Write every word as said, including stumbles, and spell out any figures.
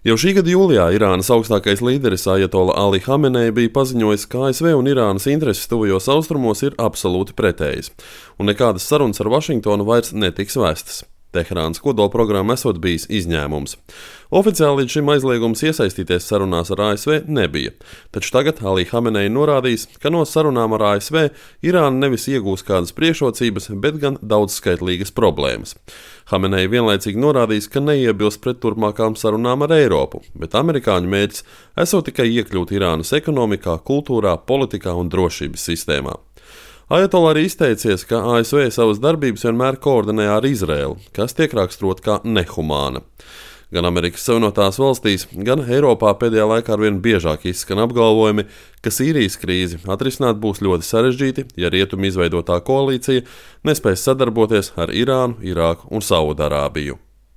Jau šī gada jūlijā Irānas augstākais līderis Ajatola Ali Hamenei bija paziņojis, ka A S V un Irānas intereses tuvajos austrumos ir absolūti pretējas, un nekādas sarunas ar Vašingtonu vairs netiks vestas. Teherānas kodolprogramma esot bijis izņēmums. Oficiāli līdz šim aizliegums iesaistīties sarunās ar A S V nebija, taču tagad Ali Hamenei norādījis, ka no sarunām ar A S V Irāna nevis iegūs kādas priekšrocības, bet gan daudzskaitlīgas problēmas. Hamenei vienlaicīgi norādījis, ka neiebilst pret turpmākām sarunām ar Eiropu, bet amerikāņu mērķis esot tikai iekļūt Irānas ekonomikā, kultūrā, politikā un drošības sistēmā. Ajatola arī izteicies, ka A S V savas darbības vienmēr koordinē ar Izraēlu, kas tiek raksturota kā nehumāna. Gan Amerikas Savienotās valstīs, gan Eiropā pēdējā laikā arvien biežāk izskan apgalvojumi, ka Sīrijas krīzi atrisināt būs ļoti sarežģīti, ja rietumi izveidotā koalīcija nespēs sadarboties ar Irānu, Irāku un Saudarābiju.